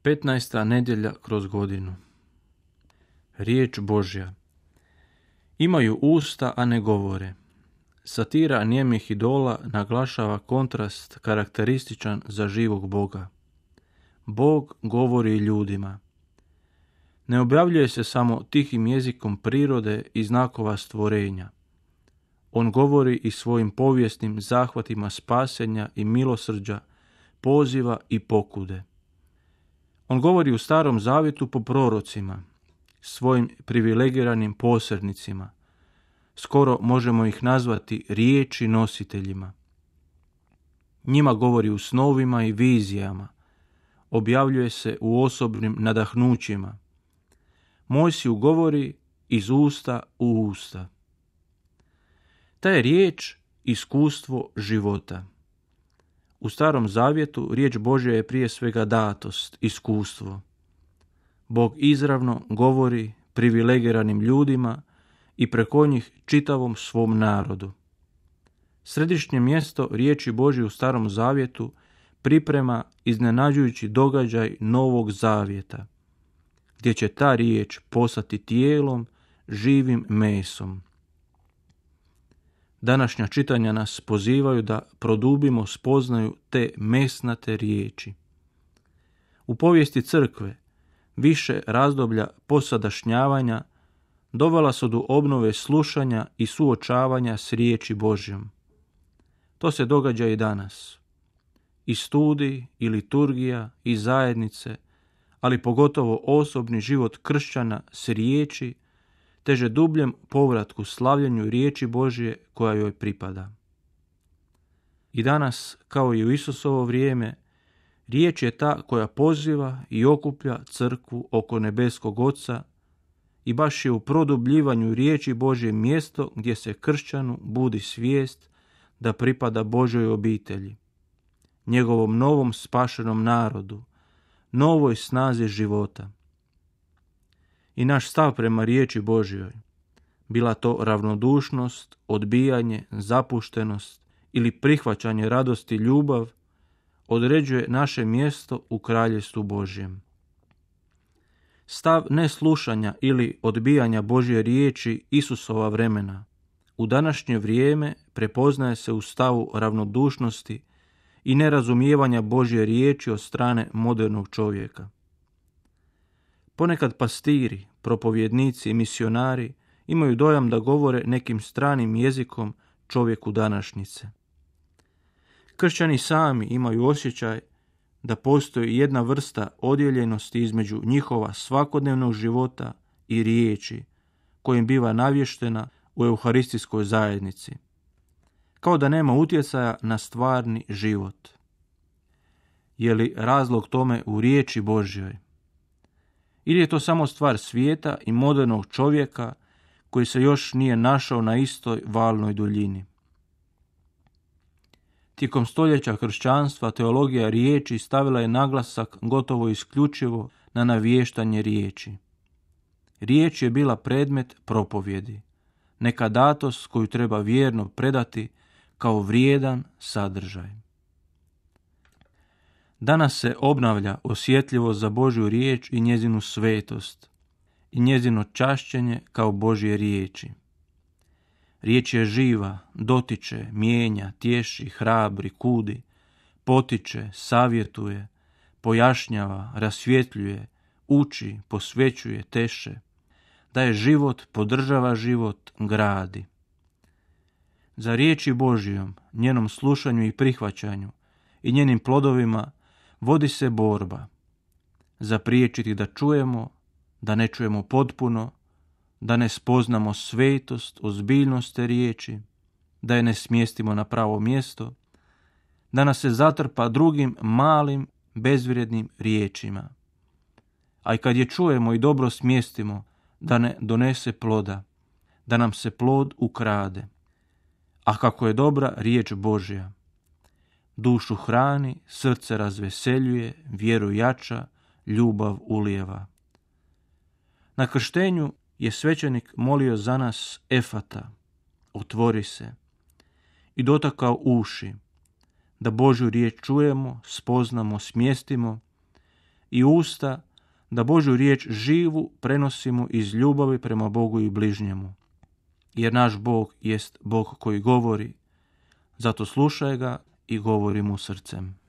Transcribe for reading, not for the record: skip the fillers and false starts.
15. nedjelja kroz godinu. Riječ Božja. Imaju usta, a ne govore. Satira nijemih idola naglašava kontrast karakterističan za živog Boga. Bog govori ljudima. Ne objavljuje se samo tihim jezikom prirode i znakova stvorenja. On govori i svojim povijesnim zahvatima spasenja i milosrđa, poziva i pokude. On govori u Starom zavjetu po prorocima, svojim privilegiranim posrednicima. Skoro možemo ih nazvati riječi nositeljima. Njima govori u snovima i vizijama. Objavljuje se u osobnim nadahnućima. Mojsiju govori iz usta u usta. Ta je riječ iskustvo života. U Starom zavjetu riječ Božja je prije svega datost, iskustvo. Bog izravno govori privilegiranim ljudima i preko njih čitavom svom narodu. Središnje mjesto riječi Božje u Starom zavjetu priprema iznenađujući događaj Novog zavjeta, gdje će ta riječ postati tijelom, živim mesom. Današnja čitanja nas pozivaju da produbimo spoznaju te mesnate riječi. U povijesti crkve više razdoblja posadašnjavanja dovela su do obnove slušanja i suočavanja s riječi Božjom. To se događa i danas. I studij, i liturgija, i zajednice, ali pogotovo osobni život kršćana s riječi, teže dubljem povratku slavljenju riječi Božje koja joj pripada. I danas, kao i u Isusovo vrijeme, riječ je ta koja poziva i okuplja crkvu oko nebeskog Oca i baš je u produbljivanju riječi Božje mjesto gdje se kršćanu budi svijest da pripada Božjoj obitelji, njegovom novom spašenom narodu, novoj snazi života. I naš stav prema riječi Božjoj, bila to ravnodušnost, odbijanje, zapuštenost ili prihvaćanje radosti, ljubav, određuje naše mjesto u kraljevstvu Božjem. Stav neslušanja ili odbijanja Božje riječi Isusova vremena u današnje vrijeme prepoznaje se u stavu ravnodušnosti i nerazumijevanja Božje riječi od strane modernog čovjeka. Ponekad pastiri, propovjednici i misionari imaju dojam da govore nekim stranim jezikom čovjeku današnjice. Kršćani sami imaju osjećaj da postoji jedna vrsta odjeljenosti između njihova svakodnevnog života i riječi kojim biva navještena u euharistijskoj zajednici, kao da nema utjecaja na stvarni život. Je li razlog tome u riječi Božjoj? Ili je to samo stvar svijeta i modernog čovjeka koji se još nije našao na istoj valnoj duljini? Tijekom stoljeća kršćanstva teologija riječi stavila je naglasak gotovo isključivo na navještanje riječi. Riječ je bila predmet propovjedi, neka datost koju treba vjerno predati kao vrijedan sadržaj. Danas se obnavlja osjetljivost za Božju riječ i njezinu svetost i njezino čašćenje kao Božje riječi. Riječ je živa, dotiče, mijenja, tješi, hrabri, kudi, potiče, savjetuje, pojašnjava, rasvjetljuje, uči, posvećuje, teše, daje život, podržava život, gradi. Za riječi Božjom, njenom slušanju i prihvaćanju i njenim plodovima vodi se borba. Zapriječiti da čujemo, da ne čujemo potpuno, da ne spoznamo svetost, ozbiljnost te riječi, da je ne smjestimo na pravo mjesto, da nas se zatrpa drugim malim, bezvrijednim riječima. A i kad je čujemo i dobro smjestimo, da ne donese ploda, da nam se plod ukrade. A kako je dobra riječ Božja, dušu hrani, srce razveseljuje, vjeru jača, ljubav ulijeva. Na krštenju je svećenik molio za nas efata, otvori se, i dotakao uši, da Božju riječ čujemo, spoznamo, smjestimo i usta da Božju riječ živu prenosimo iz ljubavi prema Bogu i bližnjemu. Jer naš Bog jest Bog koji govori, zato slušaj ga i govori mu srcem.